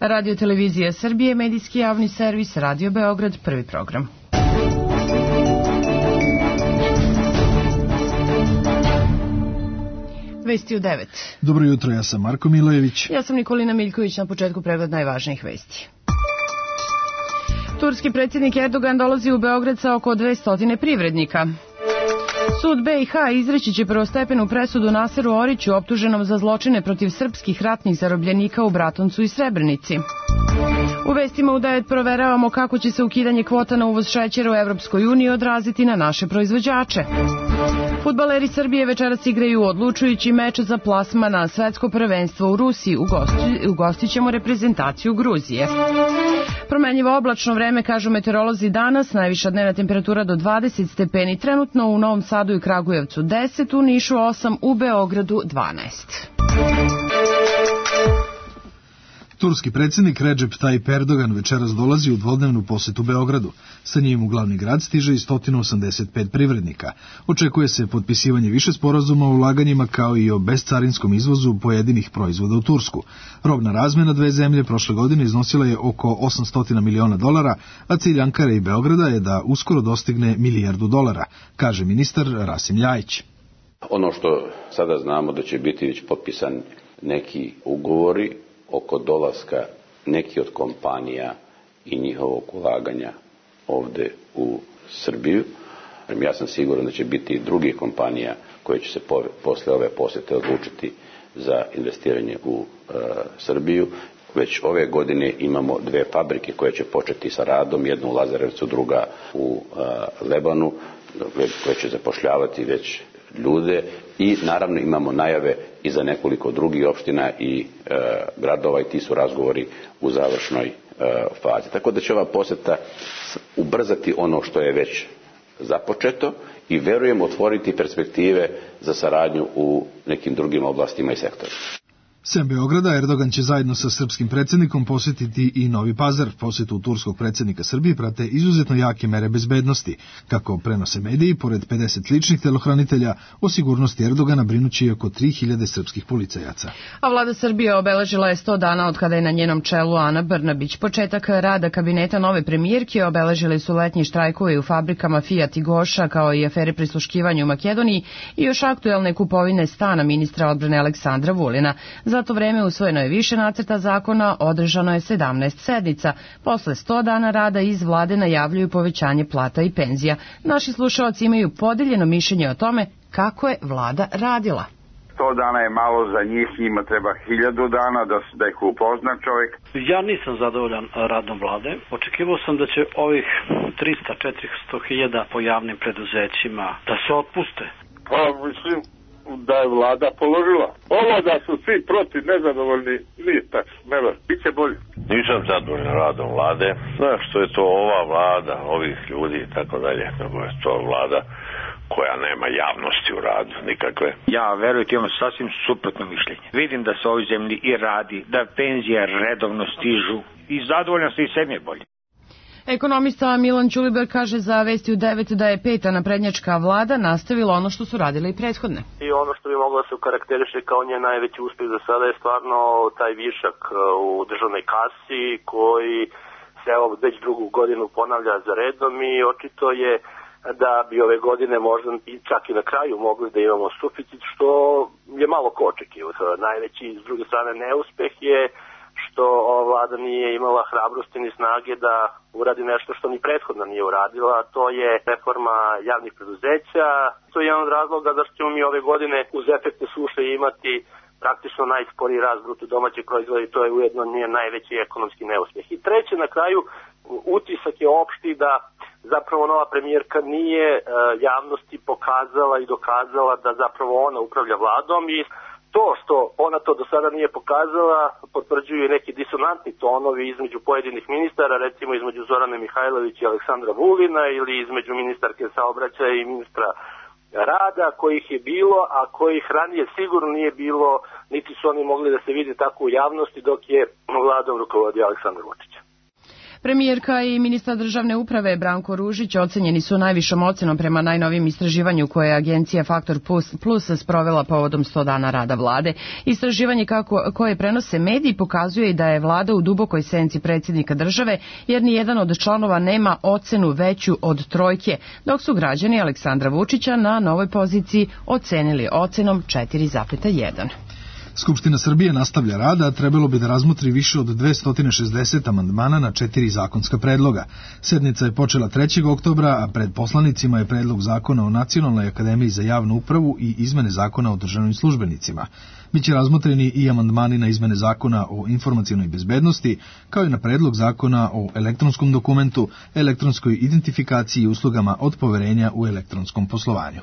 Radio Televizija Srbije, medijski javni servis, Radio Beograd, prvi program. Vesti u 9. Dobro jutro, ja sam Marko Milojević. Ja sam Nikolina Miljković, na početku pregled najvažnijih vesti. Turski predsjednik Erdogan dolazi u Beograd sa oko 200 privrednika. Sud BiH izreći će prvostepenu presudu Naseru Oriću, optuženom za zločine protiv srpskih ratnih zarobljenika u Bratuncu i Srebrenici. U vestima u 9 proveravamo kako će se ukidanje kvota na uvoz šećera u Evropskoj uniji odraziti na naše proizvođače. Fudbaleri Srbije večeras igraju odlučujući meč za plasman na svetsko prvenstvo u Rusiji. Ugostit ćemo reprezentaciju Gruzije. Promenljivo oblačno vreme, kažu meteorolozi danas, najviša dnevna temperatura do 20 stepeni, trenutno u Novom Sadu i Kragujevcu 10, u Nišu 8, u Beogradu 12. Turski predsjednik Recep Tayyip Erdogan večeras dolazi u dvodnevnu posetu Beogradu. Sa njim u glavni grad stiže i 185 privrednika. Očekuje se potpisivanje više sporazuma o ulaganjima kao i o bescarinskom izvozu pojedinih proizvoda u Tursku. Robna razmjena dve zemlje prošle godine iznosila je oko $800 miliona, a cilj Ankare i Beograda je da uskoro dostigne $1 milijardu, kaže ministar Rasim Ljajić. Ono što sada znamo da će biti već potpisan neki ugovori oko dolaska neki od kompanija i njihovog ulaganja ovde u Srbiju. Ja sam siguran da će biti i drugih kompanija koje će se posle ove posete odlučiti za investiranje u Srbiju. Već ove godine imamo dve fabrike koje će početi sa radom, jedna u Lazarevcu, druga u Lebanu, koje će zapošljavati već ljude i naravno imamo najave i za nekoliko drugih opština i gradova i ti su razgovori u završnoj fazi. Tako da će ova poseta ubrzati ono što je već započeto i verujem otvoriti perspektive za saradnju u nekim drugim oblastima i sektorima. Sem Beograda, Erdogan će zajedno sa srpskim predsjednikom posjetiti i Novi Pazar. Posjetu turskog predsjednika Srbije prate izuzetno jake mere bezbednosti. Kako prenose mediji, pored 50 ličnih telohranitelja, o sigurnosti Erdogana brinući oko 3000 srpskih policajaca. A vlada Srbije obeležila je 100 dana od kada je na njenom čelu Ana Brnabić. Početak rada kabineta nove premijerke obeležili su letnji štrajkovi u fabrikama Fiat i Goša, kao i afere prisluškivanja u Makedoniji i još aktuelne kupovine stana ministra odbrane Aleksandra Vulina. Za to vreme usvojeno je više nacrta zakona, održano je 17 sednica. Posle 100 dana rada iz vlade najavljuju povećanje plata i penzija. Naši slušalci imaju podeljeno mišljenje o tome kako je vlada radila. 100 dana je malo za njih, njima treba 1000 dana da ih upozna čovjek. Ja nisam zadovoljan radom vlade. Očekivao sam da će ovih 300-400 hiljada po javnim preduzećima da se otpuste. Pa mislim da je vlada položila. Ovo da su svi protiv nezadovoljni, nije tačno, biće bolje. Nisam zadovoljan radom vlade, što je to ova vlada, ovih ljudi i tako dalje, nego je to vlada koja nema javnosti u radu, nikakve. Ja, verujte, imam sasvim suprotno mišljenje. Vidim da se ovoj zemlji i radi, da penzije redovno stižu i zadovoljan se i sve bolje. Ekonomista Milan Ćuliber kaže za Vesti u 9 da je peta naprednjačka vlada nastavila ono što su radile i prethodne. I ono što bi moglo da se karakteriše kao njen najveći uspjeh za sada je stvarno taj višak u državnoj kasi koji se već drugu godinu ponavlja za redom i očito je da bi ove godine možda i čak i na kraju mogli da imamo suficit, što je malo ko očekivao. Najveći, s druge strane, neuspeh je što ova vlada nije imala hrabrosti ni snage da uradi nešto što ni prethodno nije uradila, a to je reforma javnih preduzeća. To je jedan od razloga zašto ćemo mi ove godine uz efekte suše imati praktično najsporiji rast bruto domaćeg proizvoda i to je ujedno nije najveći ekonomski neuspjeh. I treće, na kraju, utisak je opšti da zapravo nova premijerka nije javnosti pokazala i dokazala da zapravo ona upravlja vladom i to što ona to do sada nije pokazala potvrđuju neki disonantni tonovi između pojedinih ministara, recimo između Zorane Mihajlović i Aleksandra Vulina ili između ministarke saobraćaja i ministra rada kojih je bilo, a kojih ranije sigurno nije bilo, niti su oni mogli da se vidi tako u javnosti dok je vladom rukovodio Aleksandar Vučić. Premijerka i ministar državne uprave Branko Ružić ocenjeni su najvišom ocenom prema najnovijem istraživanju koje je agencija Faktor Plus sprovela povodom 100 dana rada vlade. Istraživanje koje prenose mediji pokazuje i da je vlada u dubokoj senci predsjednika države, jer ni jedan od članova nema ocenu veću od 3, dok su građani Aleksandra Vučića na novoj poziciji ocenili ocenom 4,1. Skupština Srbije nastavlja rad, a trebalo bi da razmotri više od 260 amandmana na 4 zakonska predloga. Sednica je počela 3. oktobra, a pred poslanicima je predlog zakona o Nacionalnoj akademiji za javnu upravu i izmene zakona o državnim službenicima. Biće razmotreni i amandmani na izmene zakona o informacionoj bezbednosti, kao i na predlog zakona o elektronskom dokumentu, elektronskoj identifikaciji i uslugama od poverenja u elektronskom poslovanju.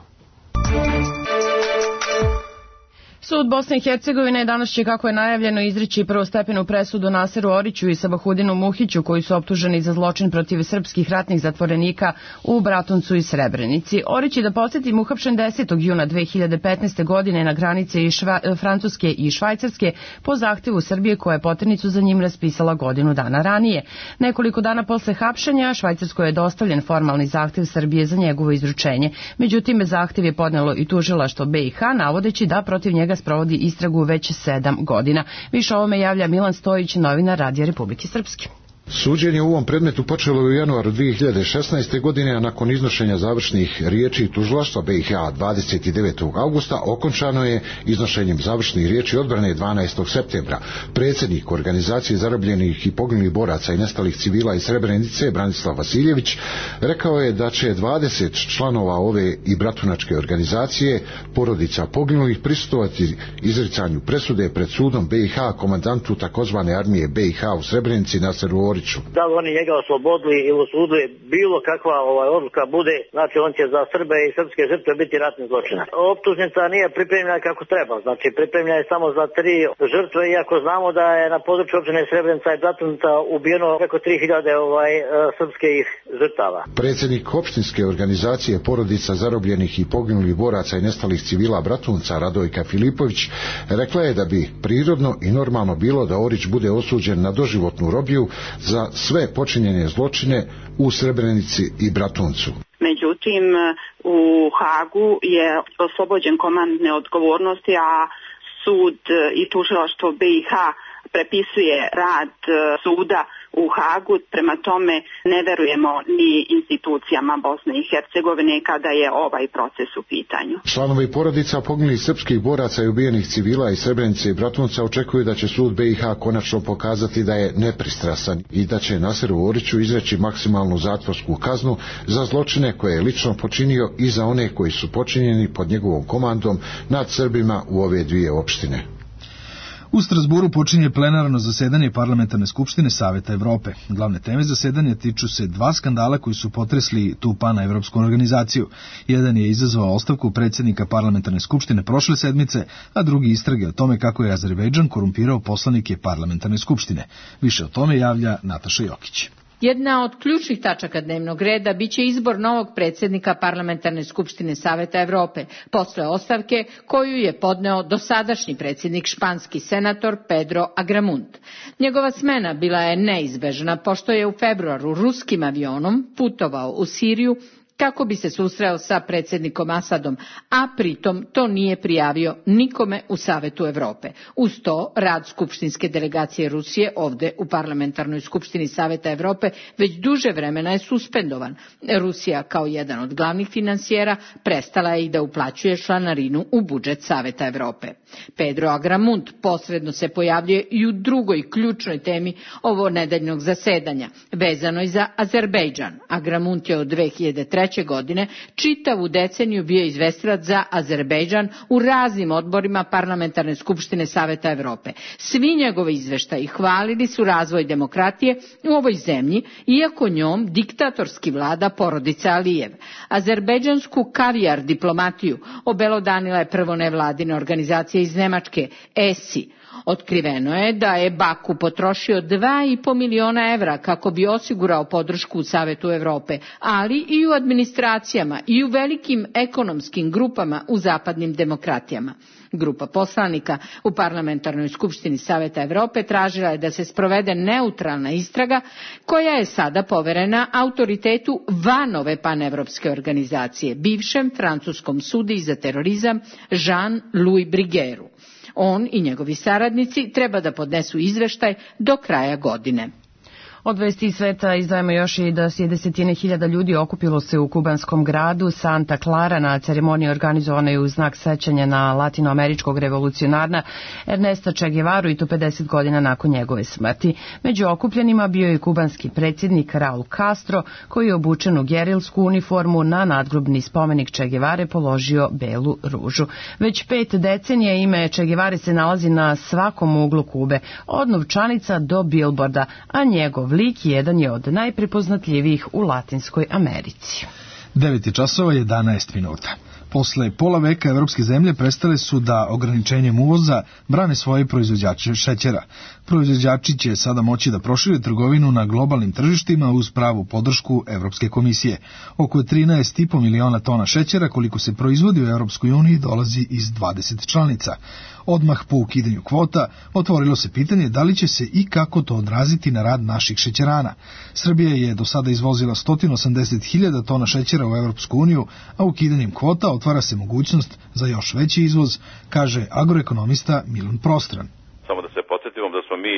Sud Bosne i Hercegovine danas će, kako je najavljeno, izreći prvostepenu presudu Naseru Oriću i Sabahudinu Muhiću, koji su optuženi za zločin protiv srpskih ratnih zatvorenika u Bratuncu i Srebrenici. Orić je, da podsjetim, uhapšen 10. juna 2015. godine na granice Francuske i Švajcarske po zahtevu Srbije, koja je poternicu za njim raspisala godinu dana ranije. Nekoliko dana posle hapšenja Švajcarskoj je dostavljen formalni zahtev Srbije za njegovo izručenje. Međutim, zahtev je podnelo i tužilaštvo BiH, navodeći da protiv njega sprovodi istragu već 7 godina. Više o ovome javlja Milan Stojić, novinar Radija Republike Srpske. Suđenje u ovom predmetu počelo je u januaru 2016. godine, a nakon iznošenja završnih riječi tužilaštva BiH 29. augusta okončano je iznošenjem završnih riječi odbrane 12. septembra. Predsjednik Organizacije zarobljenih i poginulih boraca i nestalih civila iz Srebrenice, Branislav Vasiljević, rekao je da će 20 članova ove i bratunačke organizacije, porodica poginulih, prisustvovati izricanju presude pred sudom BiH komandantu takozvane armije BiH u Srebrenici Naseru Oriću. Da li oni njega oslobodili ili osudili, bilo kakva odluka bude, znači on će za Srbe i srpske žrtve biti ratni zločinac. Optužnica nije pripremljena kako treba, znači pripremljena je samo za 3 žrtve, iako znamo da je na području opštine Srebrenica i Bratunaca ubijeno preko 3000 srpskih žrtava. Predsjednik opštinske organizacije porodica zarobljenih i poginulih boraca i nestalih civila Bratunca, Radojka Filipović, rekla je da bi prirodno i normalno bilo da Orić bude osuđen na doživotnu robiju za sve počinjene zločine u Srebrenici i Bratuncu. Međutim, u Hagu je oslobođen komandne odgovornosti, a sud i tužilaštvo BiH prepisuje rad suda u Hagu, prema tome ne verujemo ni institucijama Bosne i Hercegovine kada je ovaj proces u pitanju. Članovi porodica poginulih srpskih boraca i ubijenih civila iz Srebrenice i Bratunca očekuju da će sud BiH konačno pokazati da je nepristrasan i da će Naseru Oriću izreći maksimalnu zatvorsku kaznu za zločine koje je lično počinio i za one koji su počinjeni pod njegovom komandom nad Srbima u ove dvije opštine. U Strasburu počinje plenarno zasedanje Parlamentarne skupštine Saveta Evrope. Glavne teme zasedanja tiču se 2 skandala koji su potresli tu paneuropsku organizaciju. Jedan je izazvao ostavku predsjednika Parlamentarne skupštine prošle sedmice, a drugi istrage o tome kako je Azerbejdžan korumpirao poslanike Parlamentarne skupštine. Više o tome javlja Nataša Jokić. Jedna od ključnih tačaka dnevnog reda biće izbor novog predsjednika Parlamentarne skupštine Saveta Evrope, posle ostavke koju je podneo dosadašnji predsjednik, španski senator Pedro Agramunt. Njegova smena bila je neizbežna, pošto je u februaru ruskim avionom putovao u Siriju kako bi se susreo sa predsjednikom Asadom, a pritom to nije prijavio nikome u Savetu Evrope. Uz to, rad skupštinske delegacije Rusije ovde u Parlamentarnoj skupštini Saveta Evrope već duže vremena je suspendovan. Rusija, kao jedan od glavnih finansijera, prestala je i da uplaćuje članarinu u budžet Saveta Evrope. Pedro Agramunt posredno se pojavljuje i u drugoj ključnoj temi ovo nedeljnog zasedanja, vezanoj za Azerbejdžan. Agramunt je od 2003. godine čitavu deceniju bio izvestilac za Azerbejdžan u raznim odborima Parlamentarne skupštine Saveta Evrope. Svi njegovi izveštaji hvalili su razvoj demokratije u ovoj zemlji, iako njom diktatorski vlada porodica Alijev. Azerbejdžansku kavijar diplomatiju obelodanila je prvo nevladina organizacija iz Nemačke, ESI. Otkriveno je da je Baku potrošio 2,5 miliona evra kako bi osigurao podršku u Savetu Evrope, ali i u administracijama i u velikim ekonomskim grupama u zapadnim demokratijama. Grupa poslanika u Parlamentarnoj skupštini Saveta Evrope tražila je da se sprovede neutralna istraga koja je sada poverena autoritetu van ove panevropske organizacije, bivšem francuskom sudiji za terorizam Jean-Louis Bruguièru. On i njegovi saradnici treba da podnesu izveštaj do kraja godine. Od vesti sveta izdajemo još i da se desetine hiljada ljudi okupilo se u kubanskom gradu Santa Clara na ceremoniji organizovanoj u znak sećanja na latinoameričkog revolucionarna Ernesta Che Guevaru i to 50 godina nakon njegove smrti. Među okupljenima bio je kubanski predsjednik Raul Castro koji je obučen u gerilsku uniformu na nadgrobni spomenik Che Guevare položio belu ružu. Već 5 decenija ime Che Guevare se nalazi na svakom uglu Kube, od novčanica do bilborda, a njegov lik jedan je od najprepoznatljivijih u Latinskoj Americi. 9:11. Posle pola veka evropske zemlje prestale su da ograničenjem uvoza brane svoje proizvođače šećera. Proizvođači će sada moći da prošire trgovinu na globalnim tržištima uz pravu podršku Evropske komisije. Oko 13,5 miliona tona šećera koliko se proizvodi u Evropskoj uniji dolazi iz 20 članica. Odmah po ukidanju kvota otvorilo se pitanje da li će se i kako to odraziti na rad naših šećerana. Srbija je do sada izvozila 180.000 tona šećera u Evropsku uniju, a ukidanjem kvota otvara se mogućnost za još veći izvoz, kaže agroekonomista Milan Prostran. Samo da se podsjetimo da smo mi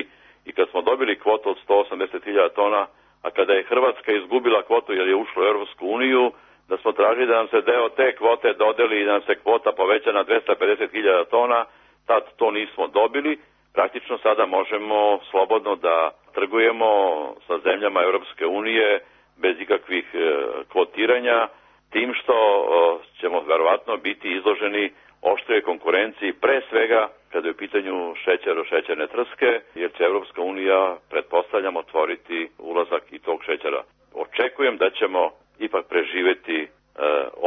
i kad smo dobili kvotu od 180.000 tona, a kada je Hrvatska izgubila kvotu jer je ušla u Evropsku uniju, da smo tražili da nam se deo te kvote dodeli i da nam se kvota poveća na 250.000 tona, tad to nismo dobili. Praktično sada možemo slobodno da trgujemo sa zemljama Evropske unije bez ikakvih kvotiranja, tim što ćemo verovatno biti izloženi oštroj konkurenciji, pre svega kada je u pitanju šećerne trske, jer će Evropska unija, pretpostavljam, otvoriti ulazak i tog šećera. Očekujem da ćemo ipak preživeti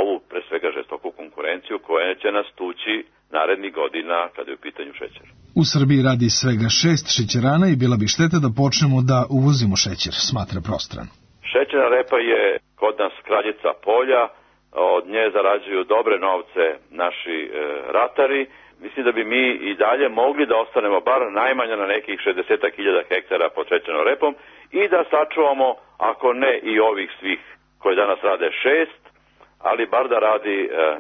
ovu pre svega žestoku konkurenciju koja će nas tući narednih godina kada je u pitanju šećer. U Srbiji radi svega 6 šećerana i bila bi šteta da počnemo da uvozimo šećer, smatra Prostran. Šećerna repa je kod nas kraljica polja, od nje zarađuju dobre novce naši ratari. Mislim da bi mi i dalje mogli da ostanemo bar najmanje na nekih 60.000 hektara pod šećernom repom i da sačuvamo, ako ne i ovih svih koji danas rade 6, ali bar da radi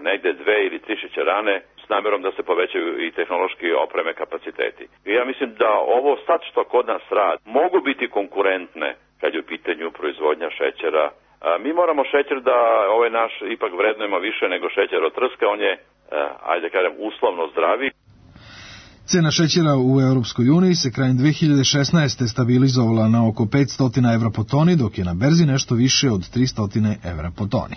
negde 2 ili 3 šećerane s namjerom da se povećaju i tehnološki opreme kapaciteti. I ja mislim da ovo sad što kod nas radi mogu biti konkurentne kad je u pitanju proizvodnja šećera. Mi moramo šećer da ovaj naš ipak vrednujemo više nego šećer od trske, on je, ajde kažem, uslovno zdravi. Cena šećera u Europskoj uniji se krajem 2016. stabilizovala na oko 500 evra po toni, dok je na berzi nešto više od 300 evra po toni.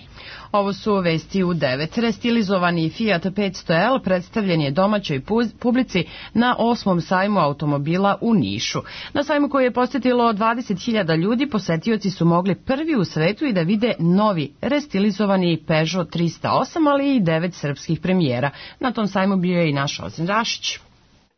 Ovo su vesti u 9. Restilizovani Fiat 500L predstavljen je domaćoj publici na 8. sajmu automobila u Nišu. Na sajmu koji je posjetilo 20.000 ljudi, posetioci su mogli prvi u svetu i da vide novi restilizovani Peugeot 308, ali i 9 srpskih premijera. Na tom sajmu bio je i naš Ozren Rašić.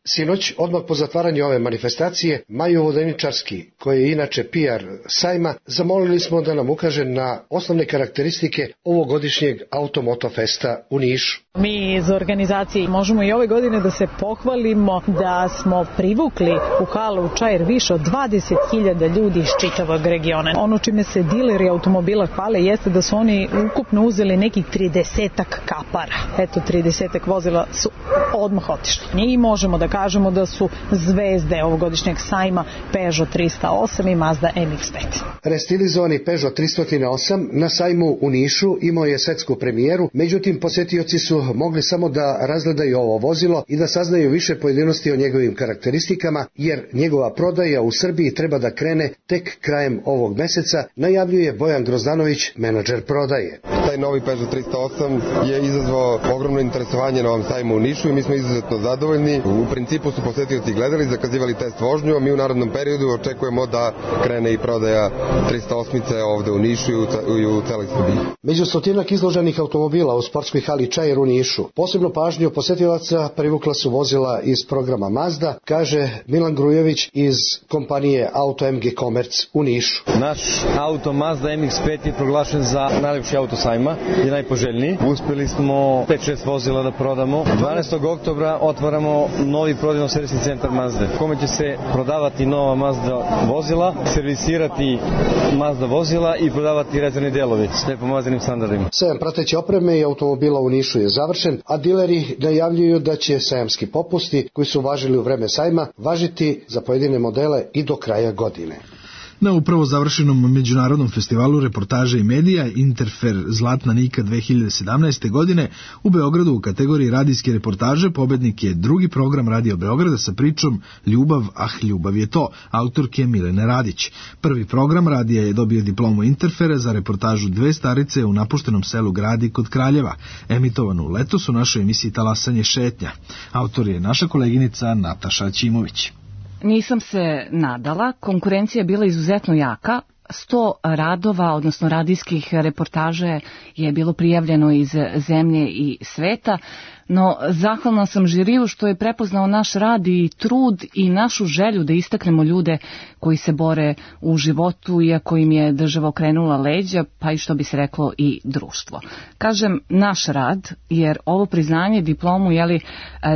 Sinoć, odmah po zatvaranju ove manifestacije, Maju Vodeničarski, koji je inače PR sajma, zamolili smo da nam ukaže na osnovne karakteristike ovogodišnjeg Automoto Festa u Nišu. Mi iz organizacije možemo i ove godine da se pohvalimo da smo privukli u halu Čair više od 20.000 ljudi iz čitavog regiona. Ono čime se dileri automobila hvale jeste da su oni ukupno uzeli nekih 30-ak kapara. Eto, 30-ak vozila su odmah otišli. I možemo da kažemo da su zvezde ovogodišnjeg sajma Peugeot 308 i Mazda MX-5. Restilizovani Peugeot 308 na sajmu u Nišu imao je svetsku premijeru, međutim posjetioci su mogli samo da razgledaju ovo vozilo i da saznaju više pojedinosti o njegovim karakteristikama, jer njegova prodaja u Srbiji treba da krene tek krajem ovog meseca, najavljuje Bojan Grozdanović, menadžer prodaje. Taj novi Peugeot 308 je izazvao ogromno interesovanje na ovom sajmu u Nišu i mi smo izuzetno zadovoljni. U principu su posetioci gledali, zakazivali test vožnju, a mi u narednom periodu očekujemo da krene i prodaja 308 ovde u Nišu i u celoj Srbiji. Među stotinak izloženih automobila u sportskoj hali Čair u Nišu, posebno pažnju posetilaca privukla su vozila iz programa Mazda, kaže Milan Grujević iz kompanije Auto MG Commerce u Nišu. Naš auto Mazda MX-5 je proglašen za najlepši auto sajma i najpoželjniji. Uspjeli smo 5-6 vozila da prodamo. 12. oktobra otvaramo novi prodajno-servisni centar Mazda, u kome će se prodavati nova Mazda vozila, servisirati Mazda vozila i prodavati rezervni delovi, sve po Mazdinim standardima. Sajam prateće opreme i automobila u Nišu je završen, a dileri najavljuju da će sajamski popusti koji su važili u vreme sajma važiti za pojedine modele i do kraja godine. Na upravo završenom međunarodnom festivalu reportaža i medija Interfer Zlatna Nika 2017. godine u Beogradu u kategoriji radijske reportaže pobednik je drugi program Radio Beograda sa pričom Ljubav, ljubav je to, autorke Milene Radić. Prvi program radija je dobio diplomu Interfera za reportažu Dve starice u napuštenom selu Gradi kod Kraljeva, emitovanu letos u našoj emisiji Talasanje šetnja. Autor je naša koleginica Nataša Ćimović. Nisam se nadala, konkurencija je bila izuzetno jaka, 100 radova, odnosno radijskih reportaže je bilo prijavljeno iz zemlje i sveta, no zahvalna sam žiriju što je prepoznao naš rad i trud i našu želju da istaknemo ljude koji se bore u životu, iako im je država okrenula leđa, pa i što bi se reklo i društvo. Kažem naš rad, jer ovo priznanje, diplomu,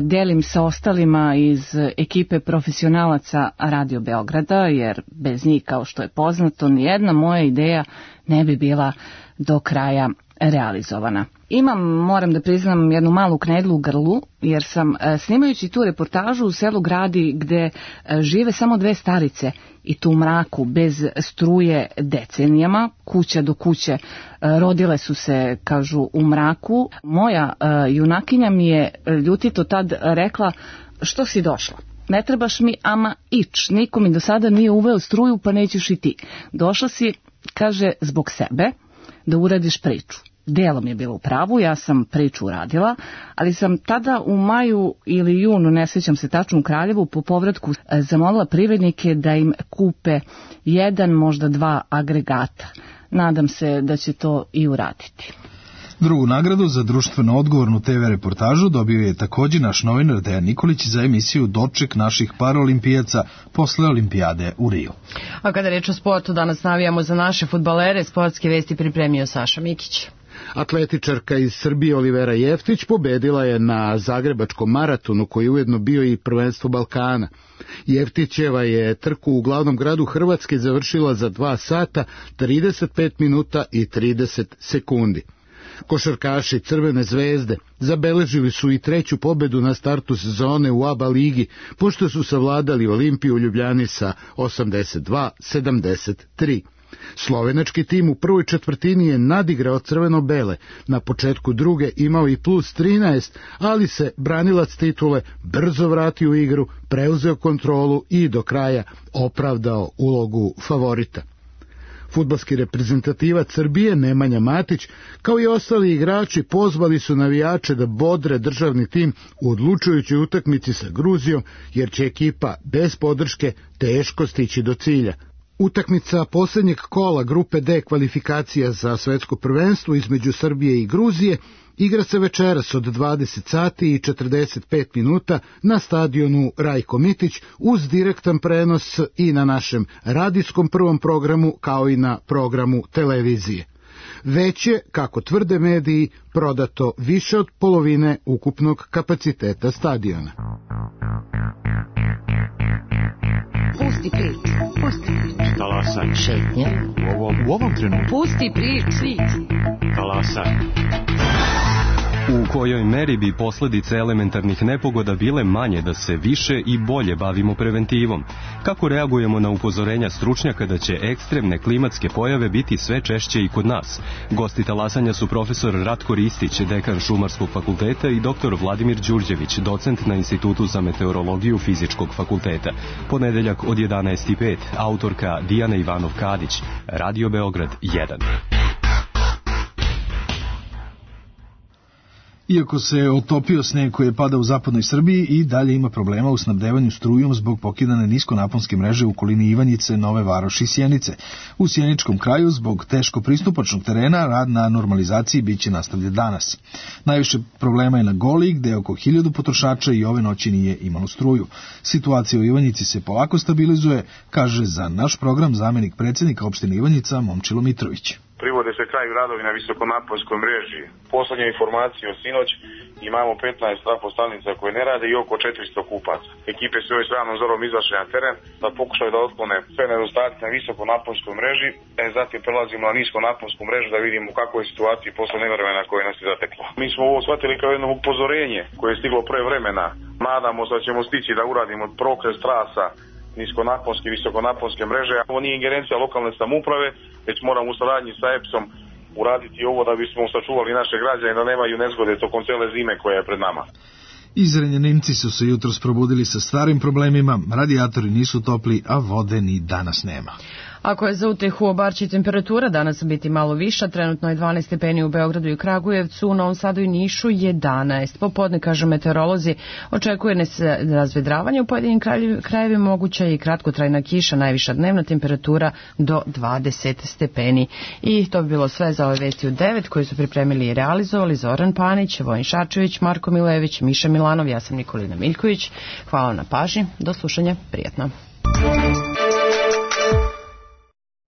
delim sa ostalima iz ekipe profesionalaca Radio Beograda, jer bez njih, kao što je poznato, nijedna moja ideja ne bi bila do kraja realizovana. Imam, moram da priznam, jednu malu knedlu u grlu, jer sam snimajući tu reportažu u selu Gradi gde žive samo dve starice i tu u mraku, bez struje decenijama, kuća do kuće, rodile su se, kažu, u mraku. Moja junakinja mi je ljutito tad rekla: što si došla? Ne trebaš mi ama ić, niko mi do sada nije uveo struju, pa nećeš i ti. Došla si, kaže, zbog sebe, da uradiš priču. Delom je bilo u pravu, ja sam priču uradila, ali sam tada u maju ili junu, ne sjećam se tačno, u Kraljevu po povratku zamolila privrednike da im kupe 1, možda 2 agregata. Nadam se da će to i uraditi. Drugu nagradu za društveno odgovornu TV reportažu dobio je također naš novinar Dejan Nikolić za emisiju Doček naših paraolimpijaca posle olimpijade u Riju. A kada reč o sportu, danas navijamo za naše fudbalere. Sportske vesti pripremio Saša Mikić. Atletičarka iz Srbije Olivera Jeftić pobedila je na Zagrebačkom maratonu, koji je ujedno bio i prvenstvo Balkana. Jeftićeva je trku u glavnom gradu Hrvatske završila za 2 sata, 35 minuta i 30 sekundi. Košarkaši Crvene zvezde zabeležili su i 3. pobedu na startu sezone u ABA ligi, pošto su savladali Olimpiju u Ljubljani sa 82-73. Slovenački tim u prvoj četvrtini je nadigrao crveno-bele, na početku druge imao i plus 13, ali se branilac titule brzo vratio u igru, preuzeo kontrolu i do kraja opravdao ulogu favorita. Fudbalski reprezentativac Srbije Nemanja Matić, kao i ostali igrači, pozvali su navijače da bodre državni tim u odlučujućoj utakmici sa Gruzijom, jer će ekipa bez podrške teško stići do cilja. Utakmica posljednjeg kola grupe D kvalifikacija za svetsko prvenstvo između Srbije i Gruzije igra se večeras od 20 sati i 45 minuta na stadionu Rajko Mitić uz direktan prenos i na našem radijskom prvom programu, kao i na programu televizije. Već je, kako tvrde mediji, prodato više od polovine ukupnog kapaciteta stadiona. Pusti priču. Talasaj. Šetnje. U ovom trenutku. Pusti priču. Talasaj. U kojoj meri bi posljedice elementarnih nepogoda bile manje da se više i bolje bavimo preventivom? Kako reagujemo na upozorenja stručnjaka da će ekstremne klimatske pojave biti sve češće i kod nas? Gosti talasanja su profesor Ratko Ristić, dekan Šumarskog fakulteta, i doktor Vladimir Đurđević, docent na Institutu za meteorologiju Fizičkog fakulteta. Ponedeljak od 11:05, autorka Dijana Ivanov-Kadić, Radio Beograd 1. Iako se otopio sneg koji je padao u zapadnoj Srbiji, i dalje ima problema u snabdevanju strujom zbog pokidane niskonaponske mreže u okolini Ivanjice, Nove Varoši i Sjenice. U sjeničkom kraju, zbog teško pristupačnog terena, rad na normalizaciji biće nastavljen danas. Najviše problema je na Goli, gde oko 1000 potrošača i ove noći nije imalo struju. Situacija u Ivanjici se polako stabilizuje, kaže za naš program zamenik predsjednika opštine Ivanjica Momčilo Mitrović. Privode se kraju radovi na visokonaponskoj mreži. Poslednje informacije od sinoć, imamo 15 trafostanica koje ne rade i oko 400 kupaca. Ekipe su još ranom zorom izašle na teren da pokušaju da otklone sve nedostatke na visokonaponskoj mreži, zatim prelazimo na niskonaponsku mrežu da vidimo kako je situacija posle nevremena koje nas je zateklo. Mi smo ovo shvatili kao jedno upozorenje koje je stiglo pre vremena. Nadamo se da ćemo stići da uradimo prokres trasa niskonaponske i visokonaponske mreže. Ovo nije ingerencija lokalne samouprave, već moramo u saradnji sa EPS-om uraditi ovo da bismo sačuvali naše građane da nemaju nezgode tokom cele zime koja je pred nama. Zrenjaninci su se jutros probudili sa starim problemima, radijatori nisu topli, a vode ni danas nema. Ako je za utehu u Barči temperatura danas biti malo viša, trenutno je 12 stepeni u Beogradu i Kragujevcu, u Novom Sadu i Nišu 11. Popodne, kažu meteorolozi, očekuje se razvedravanje u pojedinim krajevima, moguća i kratkotrajna kiša, najviša dnevna temperatura do 20 stepeni. I to bi bilo sve za ove vesti u 9 koje su pripremili i realizovali Zoran Panić, Vojin Šačević, Marko Milević, Miša Milanov, ja sam Nikolina Miljković. Hvala na pažnji, do slušanja, prijatno.